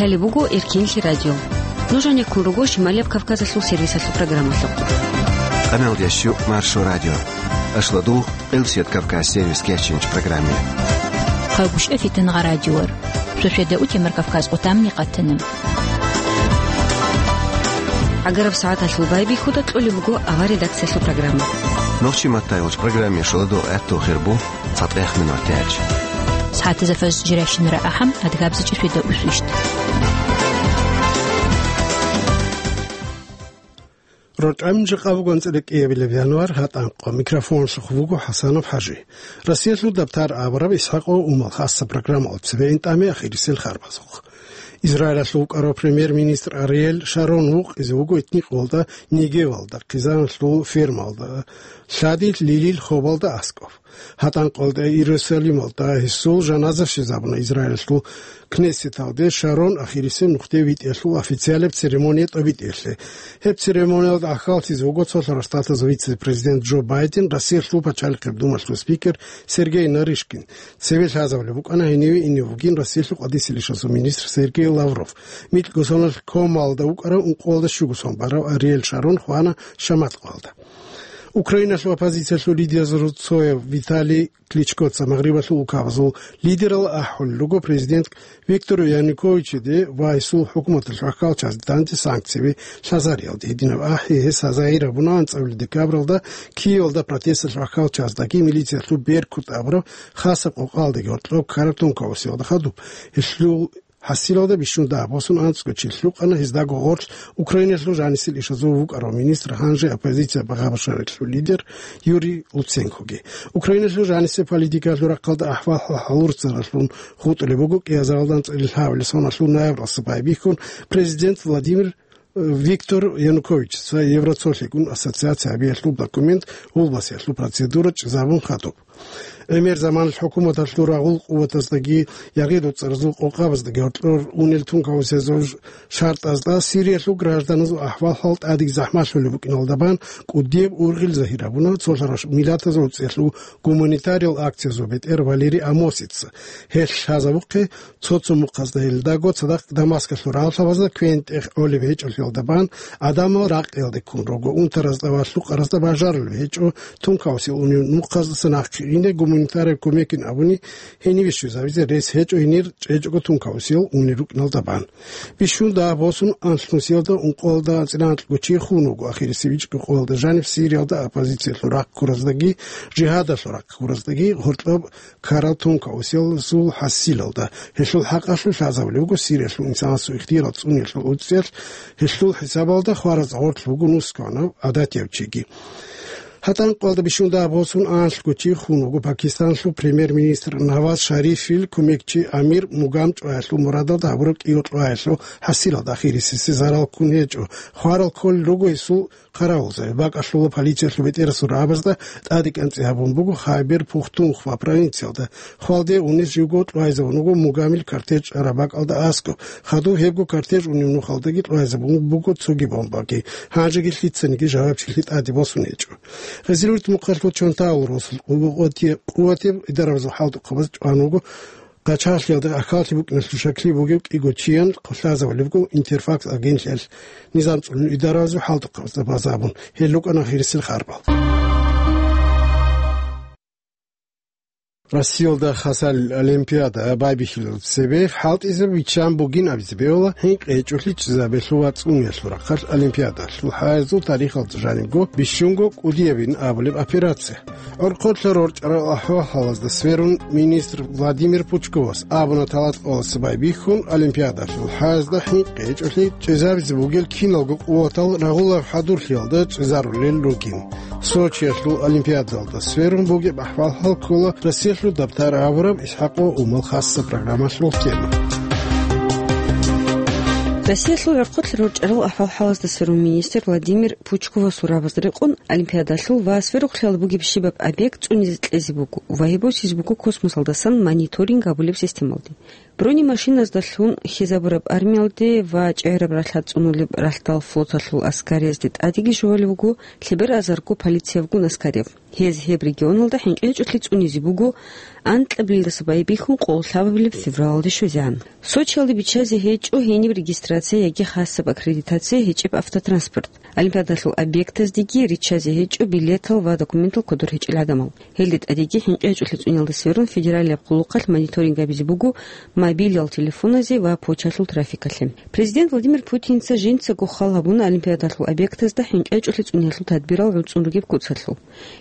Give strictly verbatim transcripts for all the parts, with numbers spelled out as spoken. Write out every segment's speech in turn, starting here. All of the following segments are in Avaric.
Лъалеб буго Эркинлъи радио. Нуж гьанеккун руго Шималияб Кавказалъул сервисалъул программалъухъ. Къаналдиящу Маршо радио. Ашладу Элсият Кавказ сервис кечинч программе. Хъагушев Фитангъа радиор. Шошведа утемар Кавказ къутамни къатана. ГӀагараб сагӀаталъул байбихьуда кьолеб буго авар редакциялъул программа. Нохчи маттайолч программе шоладо гӀатту хирбу цатӀех минур тяч. СагӀатазда фаз жиращинара ахӀам адгабзичӀи шведа усвищт. РорчӀамин жакъа буго анцӀила кӀиабилеб январ, гьатӀанкъо. Микрофонлъухъ вуго ХӀасанов ХӀажи. Россиялъул дабтар абураб ИсхӀакъо Умал хасса программалъ цебе интӀаме ахирисел харбазухъ. Израилалъул вукӀарав премьер-министр Ариел Шарон вукъизе вуго этникъвалда Негевалда, хъизаналъул фермалда, лъади Лилил хобалда аскӀоб. ГьатӀанкъалда Иерусалималда гьесул жаназа щвезабуна Израилалъул Кнессеталде. Шарон ахирисеб нухде витӀиялъул официалаб церемония тӀобитӀиялъе. Гьеб церемониялда ахьаллъизе вуго цолъарав штатазул вице-президент Джо Байден, Россиялъул пачалихъеб думалъул спикер Сергей Нарышкин. Цеве лъазабулеб букӀана гьениве ине вугин Россиялъул къватӀисел ишазул министр Сергей Лавров. МикӀго соналъ комалда вукӀарав ункъоялда щуго сон барав Ариел Шарон хвана шаматкъоялда. Украиналъул оппозициялъул лидерзул цояв Виталий Кличкоца Магърибалъул улкабазул лидерал ахӀулел руго президент Виктор Януковичиде ва гьесул хӀукуматалъ вахкалчазде данде санкцияби лъазариялде. Гьединаб ахӀи гьес гьазаирабуна анцӀабилеб декабралда Киевалда протесталъ вахкалчаздаги милициялъул Беркут абураб хасаб къокъалдаги гьоркьоб ккараб тункаусиялда хадуб. Гьелъул ХӀасилалда бищун дагь босун анцӀго чи лъукъана гьездаго гъорлъ Украиналъул жанисел ишазул вукӀарав министр, гьанже оппозиция Багъа Башарилъул лидер Юрий Луценкоги. Украиналъул жанисеб политикалъул рахъалда ахӀвал-хӀал гьалурцаралъун хутӀулеб буго кӀиазаралда анцӀила лъабабилеб соналъул ноябралъа байбихьун президент Владимир Виктор Януковичица Евроцолъигун ассоциация гьабиялъул документ гьулбасиялъул процедура чӀезабун хадуб. ГӀемер заманалъ хӀукуматалъул рагъул къуватаздаги, ягъи-дуцӀаразул къокъабаздаги гьоркьор унел тункаусезул шартӀазда Сириялъул гражданазул ахӀвал-хӀал тӀадеги захӀмалъулеб букӀиналда бан кӀудияб ургъел загьир гьабуна цолъарав миллатазул цӀехьлъул гуманитариал акциязул бетӀер Валерий Амосица. Гьелъ лъазабухъе, цо-цо мухъазда гьелдаго цадахъ Дамаскалъул рагъалъабазда квен-тӀех гӀолеб гьечӀолъиялда бан, гӀадамал ракъиялде ккун руго, унтаразда ва лъукъаразда бажарулеб гьечӀо тункаусел унев мухъаздаса нахъе ине гуманитараб кумекин абуни, гьениве щвезавизе рес гьечӀо гьенир чӀечӀого тункаусел унел рукӀиналда бан. Бищун дагь босун анлънусиялда ункъоялда анцӀила анкьго чи хун вуго ахирисеб ичӀго къоялда жаниб Сириялда оппозициялъул рахъ ккураздаги, жигьадалъул рахъ ккураздаги гьоркьоб ккарал тункаусиялъул хӀасилалда. Гьелъул хӀакъалъулъ лъазабулеб буго Сириялъул инсанасул ихтияр цӀуниялъул уцӀцӀиялъ, гьелъул хӀисабалда хвараз гъорлъ буго нусгоанав гӀадатияв чиги. ГьатӀанкъоялда бищун дагь босун анлъго чи хун вуго Пакистаналъул премьер-министр Наваз Шарифил кумекчи Амир Мугам чӀваялъул мурадалда гьабураб кӀиго-кьоаялъул хӀасилалда ахирисесе зарал ккун гьечӀо. Хварал кколел руго гьесул Хъаравулзаби бакӀалъула полициялъул бетӀерасул рагӀабазда тӀаде кӀанцӀи гьабун буго Хайбер-Пухтунхва провинциялда. Хвалде унес живго кьвайзабун вуго Мугамил кортеж араб бакӀалда аскӀоб. Хадуб гьебго кортеж унеб нухалдаги кьвайзабун буго цоги бомбаги. Гьанжеги лъицаниги жавабчилъи тӀаде босун гьечӀо. Гъезилурт мухъалъул чонтаул росул къуватияб, къуватияб идаразул хӀалтӀухъабаз чӀван вуго Къачагълъиялда ахьаллъи букӀиналъул шаклъи бугев кӀиго чиян хъулъазабулеб буго Интерфакс агентлъиялъ низам цӀунун идаразул хӀалтӀухъабазда базабун. Гьел рукӀана гъирисел харбал. Россиялда хасал олимпиада байбихьилел цебе хӀалтӀизаб виччан бугин абизе бегьула хӀинкъи гьечӀолъи чӀезабелъул ва цӀуниялъул рахъалъ олимпиадалъул хӀаязул тарихалда жанибго бищунго кӀудиябин абулеб операция. ГӀурхъулъа рорчӀарал ахӀвал-хӀалазда сверун министр Владимир Пучковас абуна талатӀкъоялъ байбихьун олимпиадалъул хӀаязда хӀинкъи гьечӀолъи чӀезабизе бугел киналго къуватал рагъулаб хӀадурлъиялда чӀезарулел ругин. Сочиялъул олимпиадалда сверун бугеб ахӀвал-хӀал ккола Россиялъул дабтар абураб ИсхӀакъо Умал хасса программалъул тема. Россиялъул гӀурхъулъа рорчӀарал ахӀвал-хӀалазда сверун министр Владимир Пучковасул рагӀабазда рекъон, олимпиадалъул ва сверухълъиялда бугеб щибаб объект цӀунизе кьезе буго ва гьеб босизе буго космосалдасан мониторинг гьабулеб системалде. Бронемашиназдалъун хьезабураб армиялде ва чӀегӀераб ралъад цӀунулеб ралъдал флоталъул аскариязде тӀадеги щвалеб буго лъебераб азарго полициябгун аскарияб. Гьез гьеб регионалда хӀинкъи гьечӀолъи цӀунизе буго анкьабилелдаса байбихьун къоло лъабабилеб февралалде щвезегӀан. Сочиялде биччазе гьечӀо гьениб регистрация яги хасаб аккредитация гьечӀеб автотранспорт. Олимпиадалъул объектаздеги риччазе гьечӀо билетал ва документал кодор гьечӀел гӀадамал. Гьелде тӀадеги хӀинкъи гьечӀолъи цӀуниялда сверун федералияб къулухъалъ мониторинг гьабизе буго мобилал телефоназе ва почталъул трафикалъе. Президент Владимир Путинца жинцаго хал гьабуна Олимпиадалъул объектазда хӀинкъи гьечӀолъи цӀуниялъул тадбирал гӀуцӀун ругеб куцалъул.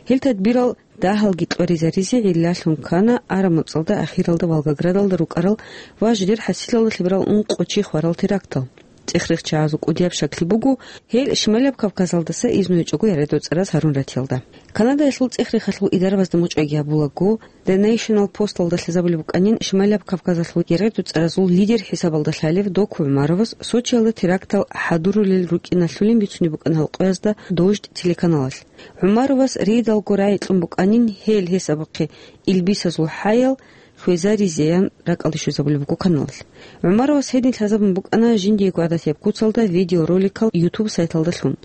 Гьел тадбирал дагьалги кьваризаризе гӀиллалъун ккана араб муцӀалда ахиралда Волгоградалда рукӀарал ва жидер хӀасилалда лъеберал ункъо чи хварал терактал. ЦӀех-рехчагӀазул кӀудияб щаклъи буго, гьел Шималияб Кавказалдаса изну гьечӀого яргъи доцӀараз гьарун ратиялда. Канадаялъул цӀех-рехалъул идарабазда мугъчӀвайги гьабулаго, The National Post-алда лъазабулеб букӀанин, Шималияб Кавказалъул яргъи доцӀаразул лидер хӀисабалда лъалев Доку ГӀумаровас Сочиялда терактал хӀадурулел рукӀиналъулин бицунеб букӀана гьал къоязда Дождь телеканалалъ. ГӀумаровас рейдалго рагӀи кьун букӀанин, гьел гьес абухъе илбисазул хӀаял хвезаризеян ракӀалде щвезабулеб буго каналалъ. ГӀумаровас гьедин лъазабун букӀана жиндиего гӀадатияб куцалда видеороликал YouTube сайталдалъун.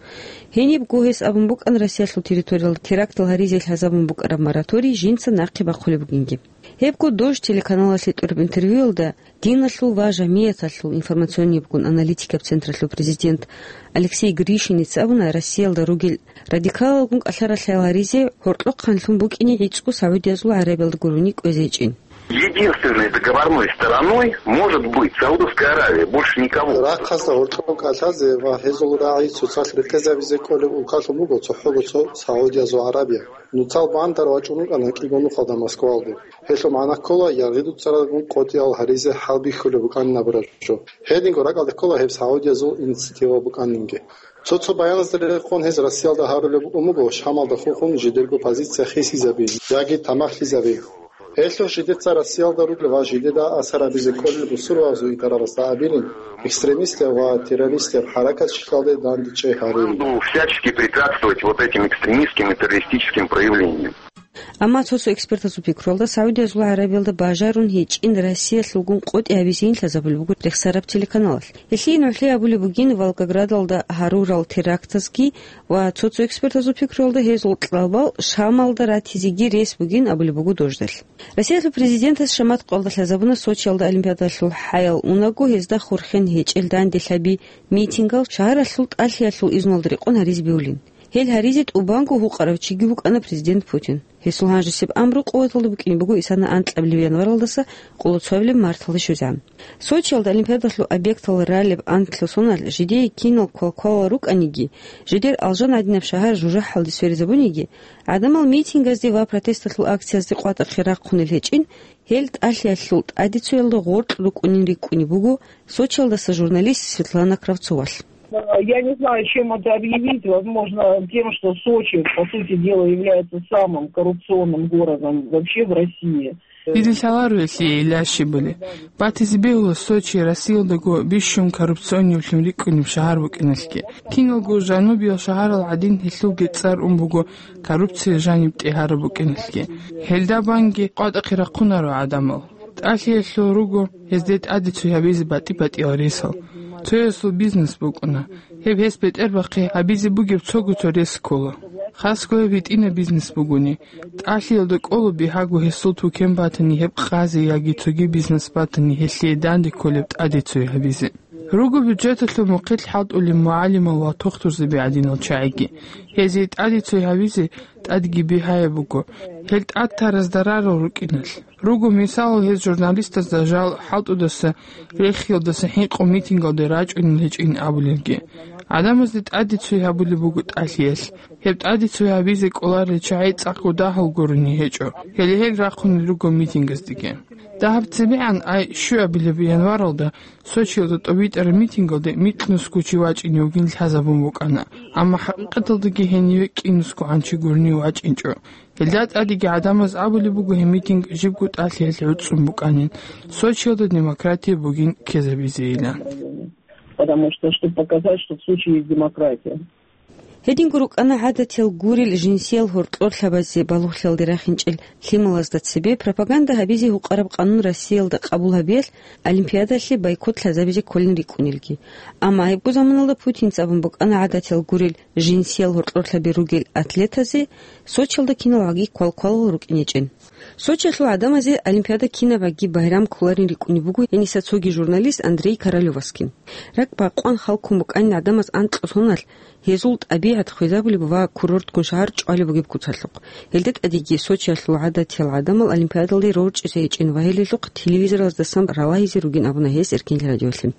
Гьенибго гьес абун букӀана Россиялъул территориялда терактал гьаризе лъазабун букӀараб мораторий жинца нахъе бахъулеб бугинги. Гьебго Дождь телеканалалъе тӀураб интервьюялда диналъул ва жамигӀаталъул информационнибгун аналитикаб централъул президент Алексей Гришиница абуна, Россиялда ругел радикалалгун кӀалъа-ралъаял гьаризе гьоркьохъанлъун букӀине гӀицӀго Саудиязул ГӀарабиялда гурони кӀвезе гьечӀин. Единственной договорной стороной может быть Саудовская Аравия, больше никого. Рахъалъа гьоркьоб кӀалъазе ва гьезул рагӀи цоцалъ рекъезабизе кӀолеб улкалъун буго цохӀого цо Саудиязул ГӀарабия. Нуцал бандар вачӀун рукӀана кӀиго нухалда Москвалде. Гьелъул магӀна ккола, яргъи дуцаралгун къотӀиял гьаризе хӀалбихьулеб букӀанин абураб жо. Гьединго ракӀалде ккола гьеб Саудиязул инициатива букӀанинги. Цо-цо баяназда рекъон гьез Россиялда гьарулеб букӀун буго, Шамалда хурхун жидерго позиция хисизаби яги тамахлъизаби. Гьелъул жидеца Россиялда ругел ва жидеда асар гьабизе кколел бусурбабазул идарабазда абилин, экстремистаб ва террористаб хӀаракатчилалде дандечӀей гьари. Буду всячески препятствовать вот этим экстремистским и террористическим проявлениям. Амма цо-цо экспертазул пикруялда, Саудиязул ГӀарабиялда бажарун гьечӀин Россиялъулгун къотӀи гьабизейин лъазабулеб буго рехсараб телеканалалъ. Гьелъие нугӀлъи абулеб бугин Волгоградалда гьарурал терактазги ва цо-цо экспертазул пикруялда гьезул кьабал Шамалда ратизеги рес бугин абулеб буго Дождалъ. Россиялъул президентас шамат къоялда лъазабуна Сочиялда Олимпиадалъул хӀаял унаго гьезда хурхен гьечӀел данделъаби митингал шагьаралъул тӀалъиялъул изнулда рекъон гьаризе бегьулин. Гьел гьаризе тӀубанго гьукъарав чиги вукӀана президент Путин. Гьесул гьанжесеб амру къуваталда букӀине буго исана анкьабилеб январалдаса къоло цоабилеб марталде щвезегӀан. Сочиялда Олимпиадалъул объектал ралеб анкьлъу соналъ жидее кинал квалквалал рукӀаниги, жидер алжан гӀадинаб шагьар жужахӀалде сверизабуниги, гӀадамал митингазде ва протесталъул акциязде къватӀахъе рахъунел гьечӀин, гьел тӀалъиялъул тӀадецоялда гъоркь рукӀунин рикӀкӀунеб буго Сочиялдаса журналист Светлана Кравцовалъ. Я не знаю, чем это объявить. Возможно, тем, что Сочи, по сути дела, является самым коррупционным городом вообще в России. Дида лъаларо гьелъие гӀилла щибали. Батизе бегьула Сочи Россиялдаго бищун коррупционниблъун рикӀкӀунеб шагьар букӀиналъги. Киналго жанубиял шагьарал гӀадин гьелъулги цӀар ун буго коррупция жаниб тӀегьараб букӀиналъги. Гьелда банги къватӀахъе рахъунаро гӀадамал. ТӀалъиялъул руго гьезде тӀаде цой гьабизе батӀи-батӀиял ресал. Цоясул бизнес букӀуна. Гьеб гьес бетӀербахъе гьабизе бугеб цого цо рес ккола. Хасго гьеб гьитӀинаб бизнес бугони, тӀалъиялда кӀоло бигьаго гьесул тукен батани, гьеб къазе яги цоги бизнес батани, гьелъие данде кколеб тӀаде цой гьабизе. Руго бюджеталъул мухъилъ хӀалтӀулеб мугӀалимал ва тухтурзаби гӀадинал чагӀиги. Гьезие тӀаде цой гьабизе тӀадги бигьаяб буго, гьел тӀад тараз дарарал рукӀиналъ. Руго мисалал гьез журналистазда жал хӀалтӀудаса, рехиялдаса хӀинкъун митингалде рачӀунел гьечӀин абулелги. ГӀадамазде тӀаде цой гьабулеб буго тӀалъиялъ. Гьеб тӀаде цой гьабизе кӀоларел чагӀи цӀакъго дагьал гурони гьечӀо, гьеле гьел рахъунел руго митингаздеги. Дагьаб цебегӀан ай щуабилеб январалда Сочиялда тӀобитӀараб митингалде микьнусго чи вачӀине вугин лъазабун букӀана, амма хӀакъикъаталдаги гьениве кӀинусгогӀан чи гурони вачӀинчӀо. Гьелда тӀадеги гӀадамаз абулеб буго гьеб митинг жибго тӀалъиялъ гӀуцӀун букӀанин, Сочиялда демократия бугин ккезабизейилан. Потому что, чтобы показать, что в Сочи есть демократия. Гьединго рукӀана гӀадатиял гурел жинсиял гьоркьорлъабазе балугълъиялде рахинчӀел лъималазда цебе пропаганда гьабизе гьукъараб къанун Россиялда къабул гьабиялъ Олимпиадалъе бойкот лъазабизе кколин рикӀкӀунелги. Амма гьебго заманалда Путинца абун букӀана гӀадатиял гурел жинсиял гьоркьорлъаби ругел атлетазе Сочиялда киналгӀаги квалквалал рукӀинечӀин. Сочиялъул гӀадамазе Олимпиада кинабгӀаги байрам кколарин рикӀкӀунеб буго гьениса цоги журналист Андрей Королёваскин. РакӀ бакъван халкун букӀанин гӀадамаз анкьго соналъ, гьезул тӀабигӀат хвезабулеб ва курортгун шагьар чӀвалеб бугеб куцалъухъ. Гьелда тӀадеги Сочиялъул гӀадатиял гӀадамал Олимпиадалде рорчӀизе гьечӀин ва гьелъухъ телевизоралдасан ралагьизе ругин абуна гьес Эркин радиолъе.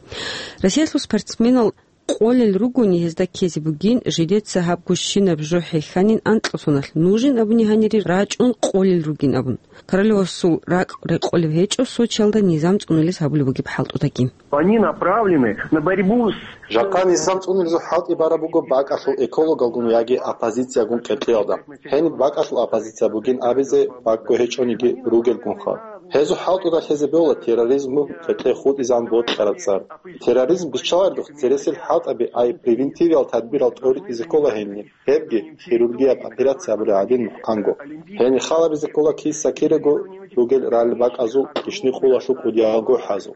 Россиялъул спортсменал къолел ругони гьезда ккезе бугин, жидеца гьаб гущинаб жо хӀехьанин анкьго соналъ, нужин абуни гьанире рачӀун къолел ругин абун. Королёвасул ракӀ рекъолеб гьечӀо Сочиялда низам цӀунулез гьабулеб бугеб хӀалтӀудаги. Они направлены на борьбу с... Жакъа низам цӀунулезул хӀалтӀи бараб буго бакӀалъул экологалгун яги оппозициягун къеркьеялда. Гьениб бакӀалъул оппозиция бугин абизе бакӀго гьечӀониги ругелгунха. Гьезул хӀалтӀуда лъезе бегьула терроризмгун къеркьей хутӀизан бокьараб цӀар. Терроризм биччаларидухъ цересел хӀалтӀаби, ай превентивиял тадбирал тӀоритӀизе ккола гьениб. Гьебги хирургияб операция абулеб гӀадин мухъанго. Гьениб халабизе ккола киса-кирего ругел ралли бакӀазул, кишни-къулалъул кӀудиялго хӀазул.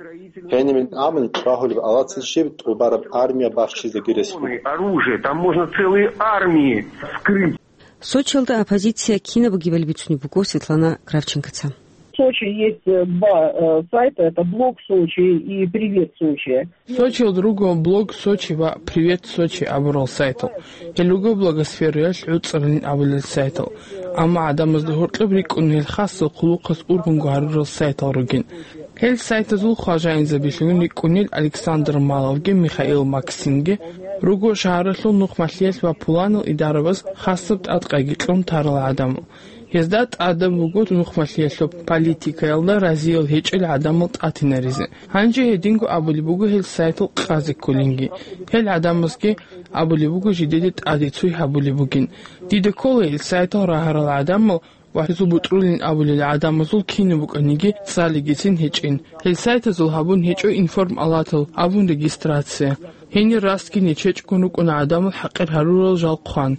Гьенибин абуни, чӀвагьулеб алацин щиб тӀубараб армия бахчизеги рес буго. Оружие, там можно целые армии вскрыть. Сочиялда оппозиция кинаб бугебали бицунеб буго Светлана Кравченкоца. В Сочи есть, э, два, э, сайта, это «Блог Сочи» и «Привет Сочи». Сочиялда руго «Блог Сочи» ва «Привет Сочи» абурал сайтал. Гьел руго блогосфераялъ гӀуцӀаралин абулел сайтал. Амма гӀадамазда гьоркьоб рикӀкӀун гьел хасал хъулухъаз ургъунго гьарурал сайтал ругин. Гьел сайтазул хважаинзабилъун рикӀкӀунел Александр Маловги Михаил Максимги руго шагьаралъул нухмалъиялъ ва пуланал идарабаз хасаб тӀадкъайги кьун тарал гӀадамал. Гьезда тӀадаб буго нухмалъиялъул политикаялда разиял гьечӀел гӀадамал тӀатинаризе. Гьанже гьединго абулеб буго гьел сайтал къазе кколинги. Гьел гӀадамазги абулеб буго жидеде тӀаде цой гьабулеб бугин. Дида ккола гьел сайтал рагьарал гӀадамал ва гьезул бутӀрулин абулел гӀадамазул кинаб букӀаниги цӀалигицин гьечӀин. Гьел сайтазул гьабун гьечӀо информалатал абун регистрация. Гьенир растги нечечӀгун рукӀуна гӀадамал хӀакъир гьарурал жал хъван.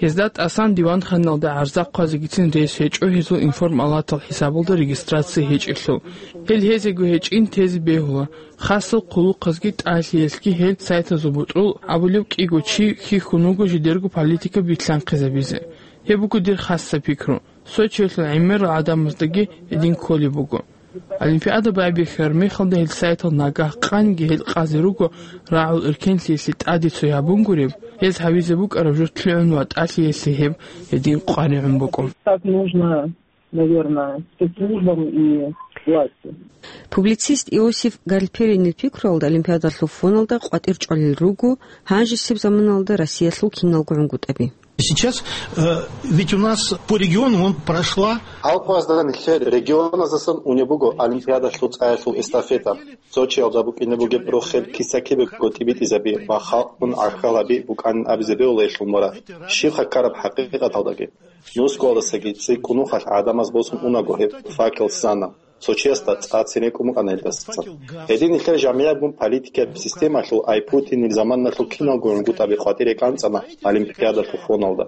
Гьезда тӀасан диванханалда гӀарза хъвазегицин рес гьечӀо гьезул информалатал хӀисабалда регистрация гьечӀелъул. Гьел гьезего гьечӀин тезе бегьула. Хасал хъулухъазги тӀалъиялъги гьел сайтазул бутӀрул абулеб кӀиго чи хьихьун вуго жидерго политика билълъанхъизабизе. Гьеб буго дир хасаб пикру. Сочиялъул гӀемерал гӀадамаздаги гьедин кколеб буго. Олимпиада байбихьараб мехалда гьел сайтал нагагь къанги гьел къазе руго рагӀул эркенлъиялъе тӀаде цой гьабун гуреб, гьез гьавизе букӀараб жо лъугӀун ва тӀалъиялъе гьеб гьедин къваригӀун букӀун. Так нужно, наверное, спецслужбам и власти. Публицист Иосиф Гальперинил пикруялда Олимпиадалъул фоналда къватӀир чӀвалел руго гьанжесеб заманалда Россиялъул киналго гӀунгутӀаби. Сейчас, э, ведь у нас по регионам он прошла. Алкъвазда нилъер регионаздасан унеб буго Олимпиадалъул цӀаялъул эстафета. Сочиялда букӀине бугеб рохел киса-кибего тӀибитӀизаби ва халкъгун гӀахьалаби букӀанин абизе бегьула гьелъул мурад. Щибха ккараб хӀакъикъаталдаги? Нусгоялдасаги цӀикӀкӀунухъалъ гӀадамаз босун унаго гьеб факел сана. Сочиясда цӀацин рекӀун букӀана гьелдасан. Гьедин нилъер жамигӀатгун политикияб системалъул ай Путинил заманалъул киналго гӀунгутӀаби къватӀире кӀанцӀана Олимпиадалъул фоналда.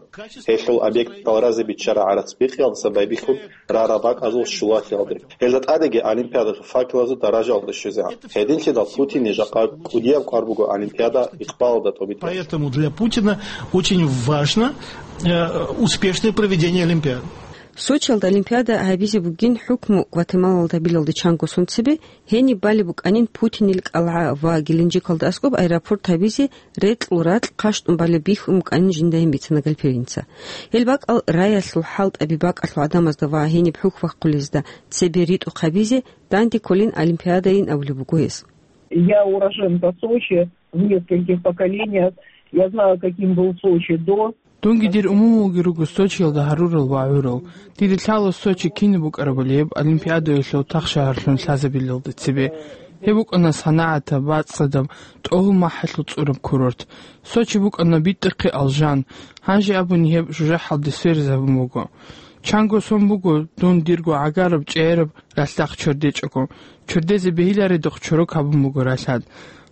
Гьелъул объектал разе биччараб гӀарац бихъиялдаса байбихьун рараб бакӀазул щулалъиялде. Гьелда тӀадеги Олимпиадалъул факелазул даражаялда щвезегӀан. Гьединлъидал Путине жакъа кӀудияб кӀвар буго Олимпиада икъбалалда тӀобитӀиялъе. Поэтому для Путина очень важно, э, успешное проведение Олимпиады. Сочиялда Олимпиада гьабизе бугин хӀукму Гватемалалда билалде чанго сон цебе, гьениб балеб букӀанин Путинил кӀалгӀа ва Геленджикалда аскӀоб аэропорт гьабизе рекьул ракь хъащтӀун балеб бихьун букӀанин жинда гьин бицана Гальперинца. Гьел бакӀал раялъул хӀалтӀаби бакӀалъул гӀадамазда ва гьениб хӀухь-бахъулезда цебе ритӀухъ гьабизе данде кколин Олимпиадайин абулеб буго гьес. Я уроженка Сочи, в нескольких поколениях. Я знаю, каким был Сочи до. Дунги дир умумулги руго Сочиялда гьарурал ва гӀурал. Дида лъала Сочи кинаб букӀарабали гьеб Олимпиадаялъул тахшагьарлъун лъазабилалда цебе. Гьеб букӀана санагӀатаб, бацӀцӀадаб, тӀогьул махӀалъул цӀураб курорт. Сочи букӀана битӀахъе алжан, гьанже абуни гьеб жужахӀалде сверизабун буго. Чанго сон буго дун дирго гӀагараб чӀегӀераб ралъдахъ чордечӀого. Чордезе бегьиларедухъ чорок гьабун буго ралъад.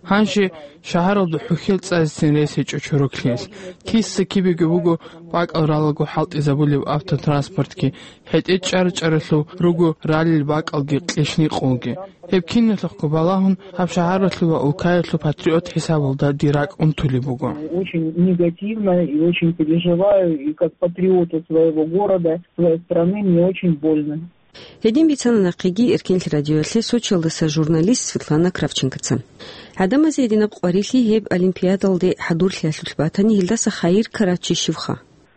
Гьанже шагьаралда хӀухьел цӀазецин рес гьечӀо чороклъиялъ. Киса-кибеги буго бакӀал ралаго хӀалтӀизабулеб автотранспортги, хӀетӀе чӀара-чӀаралъув руго ралел бакӀалги кьишникъулги. Гьеб киналъухъго балагьун, гьаб шагьаралъул ва улкаялъул патриот хӀисабалда дир ракӀ унтулеб буго. Очень негативно и очень переживаю, и как патриоту своего города, своей страны мне очень больно. Гьедин бицана нахъеги Эркенлъи радиоялъе Сочиялдаса журналист Светлана Кравченкоца. ГӀадамазе гьединаб къварилъи гьеб олимпиадалде хӀадурлъиялъулъ батани, гьелдаса хайир ккарав чи щивха?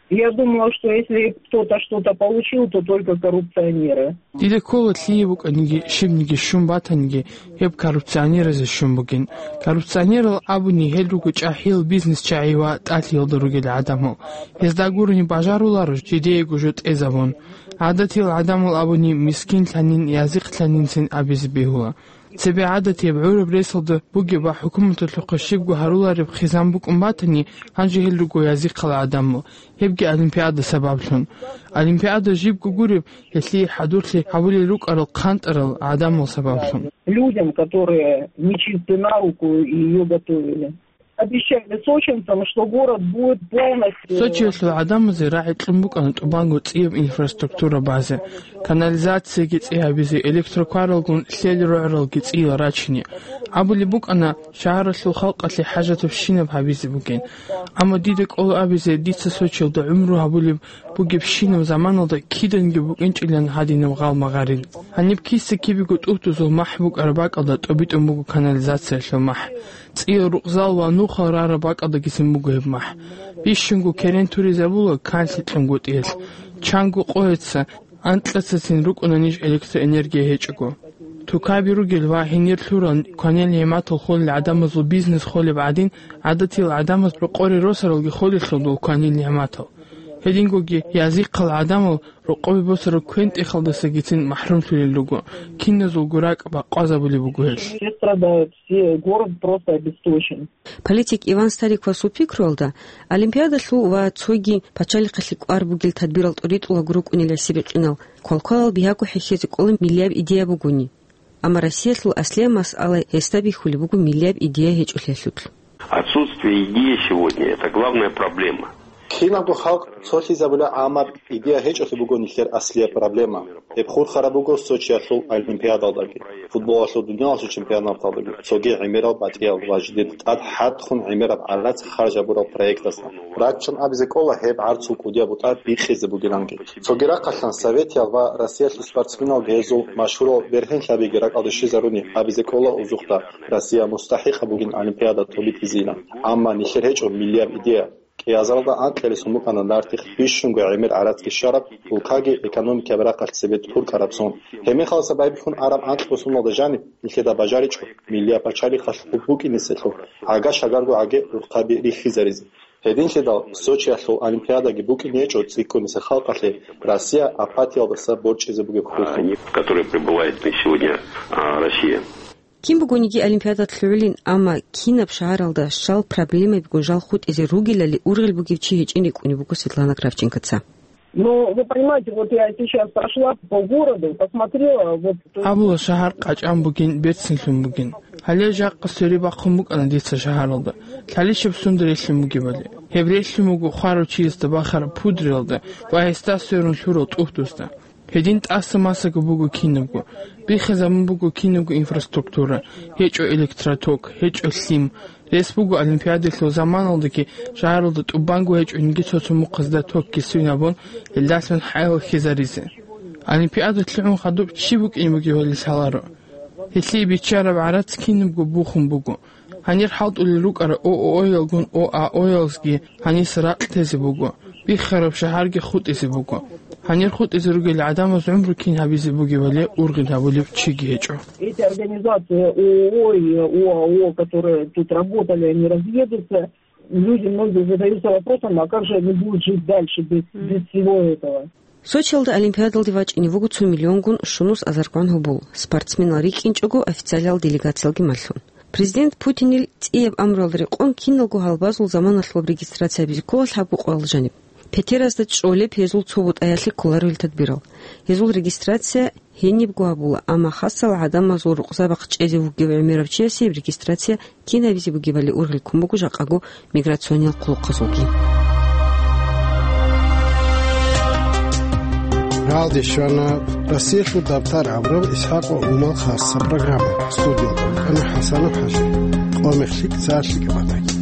Я думала, что если кто-то что-то получил, то только коррупционеры. Дида ккола лъие букӀаниги, щибниги щун батаниги, гьеб коррупционеразе щун бугин. Коррупционерал абуни гьел руго чӀахӀиял бизнесчагӀи ва тӀалъиялда ругел гӀадамал. Гьезда гурони бажаруларо жидеего жо тӀезабун. ГӀадатиял гӀадамал абуни мискинлъанин, язихълъанинцин абизе бегьула. Цебе гӀадатияб гӀураб ресалда бугеб ва хӀукуматалъухъа щибго гьарулареб хъизан букӀун батани, гьанже гьел руго язихъал гӀадамал, гьебги олимпиада сабаблъун. Олимпиада жибго гуреб, гьелъие хӀадурлъи гьабулел рукӀарал хъантӀарал гӀадамал сабаблъун. Людям, которые нечисты на руку и её готовили. Обещали сочинцам, что город будет полностью. Сочиялъул гӀадамазе рагӀи кьун букӀана тӀубанго цӀияб инфраструктура базе, канализацияги цӀи гьабизе, электрокаралгун лъел рогӀралги цӀиял рачине. Абулеб букӀана, шагьаралъул халкъалъе хӀажатабщинаб гьабизе бугин. Амма дида кӀола абизе, дица Сочиялда гӀумру гьабулеб бугебщинаб заманалда киданги букӀинчӀилан гьадинаб гъал-магъарил. Гьаниб киса-кибего тӀугьдузул махӀ букӀараб бакӀалда тӀобитӀун буго канализациялъул махӀ. ЦӀиял рукъзал ва нухал рараб бакӀалдагицин буго гьеб махӀ. Бищунго керен туризабула канлъи кьунгутӀиялъ. Чанго къояца, анкьацацин рукӀуна ниж электроэнергия гьечӀого. Тукаби ругел ва гьенир лъурал кванил нигӀматал холел гӀадамазул бизнес холеб гӀадин, гӀадатиял гӀадамаз рокъоре росаралги холелъул дол кванил нигӀматал. Гьедингоги язихъал гӀадамал рокъобе босараб квен-тӀехалдасагицин махӀрумлъулел руго, киназулго ракӀ бакъвазабулеб буго гьелъ. Все страдают, все, город просто обесточен. Политик Иван Стариковасул пикруялда, олимпиадалъул ва цоги пачалихъалъе кӀвар бугел тадбирал тӀоритӀулаго рукӀунел гӀисибикъинал квалквалал бигьаго хӀехьезе кӀола миллияб идея бугони. Амма Россиялъул аслияб масъала гьесда бихьулеб буго миллияб идея гьечӀолъиялъулъ. Отсутствие идеи сегодня — это главная проблема. Кинабго халкъ цолъизабула, амма идея гьечӀолъи буго нилъер аслияб проблема. Гьеб хурхараб буго Сочиялъул олимпиадалдаги, футболалъул дуниялалъул чемпионаталдаги, цоги гӀемерал батӀиял ва жидеда тӀад хӀадхъун гӀемераб гӀарац харжабурал проектазда. Раччун абизе кӀола гьеб гӀарцул кӀудияб бутӀа бикъизе бугиланги. Цоги рахъалъан советиял ва Россиялъул спортсменалги гьезул машгьурал бергьенлъабиги ракӀалде щвезаруни абизе кӀола узухъда Россия мустахӀикъаб бугин олимпиада тӀобитӀизейилан. Амма нилъер гьечӀо миллияб идея. КӀиазаралда анкьилисун букӀана нартихъ бищунго гӀемер гӀарацги щвараб, улкаги экономикаяб рахъалъ цебе тӀуркӀараб сон. Гьебмехаласа байбихьун араб анкьго соналда жаниб нилъеда бажаричӀо миллияб пачалихъалъ хъуб букӀинеселъул гӀага-шагарго гӀаги рухъаби рихьизаризе. Гьединлъидал Сочиялъул олимпиадаги букӀине гьечӀо цӀикӀкӀуниса халкъалъе Россия апатиялдаса борчӀизе бугеб хурхун. Которые пребывает на сегодня, а, Россия. Кин бугониги олимпиадалъ лъугӀулин, амма кинаб шагьаралда щал проблемабигун жал хутӀизе ругелали ургъел бугев чи гьечӀин рикӀкӀунеб буго Светлана Кравченкоца. Ну, вы понимаете, вот я сейчас прошла по городу, посмотрела, вот. Абула шагьар къачӀан бугин, берцинлъун бугин. Гьале жакъа свериб бахъун букӀана дица шагьаралда, лъалищеб сунда релълъун бугебали. Гьеб релълъун буго хварав чиясда бахараб пудриялда ва гьесда сверун лъурал тӀугьдузда. Гьедин тӀаса-масаго буго кинабго, биххизабун буго кинабго инфраструктура, гьечӀо электроток, гьечӀо лъим. Рес буго олимпиадалъул заманалдаги шагьаралда тӀубанго гьечӀониги цо-цо мухъазда токги свинабун, гьелдалъун хӀаял хьизаризе. Олимпиада лъугӀун хадуб чи букӀин бугебали лъаларо. Гьелъие биччараб гӀарац кинабго бухун буго. Гьанир хӀалтӀулел рукӀарал ООО-ялгун ОАО-ялзги гьанис ракь тезе буго, биххараб шагьарги хутӀизе буго. Гьанир хутӀизе ругел гӀадамаз гӀумру кин гьабизе бугебали ургъел гьабулев чиги гьечӀо. Эти организации ООО и ОАО, которые тут работали, они разъедутся. Люди многие задаются вопросом, а как же они будут жить дальше без, без всего этого? Сочиялда олимпиадалде вачӀине вуго цо миллионгун щунус азаргван гьобол. Спортсменал рикӀкӀинчӀого официалиял делегациялги малъун. Президент Путинил цӀияб амруялда рекъон киналго гьалбазул заманалъулаб регистрация гьабизе ккола лъабго къоялда жаниб. Петеразда чӀолеб гьезул цо бутӀаялъе кколаревил тадбирал. Гьезул регистрация гьенибго гьабула, амма хасал гӀадамазул рукъзабахъ чӀезе вугев гӀемерав чиясе гьеб регистрация кинабизе бугебали ургъел ккун буго жакъаго миграциониял хъулухъазулги. Ралде щвана Россиялъул дабтар абураб ИсхӀакъ ва Умал хасса программа. Студиялда вукӀана ХӀасанов ХӀажи. Къо мехлъи цалъи кӀабатаги.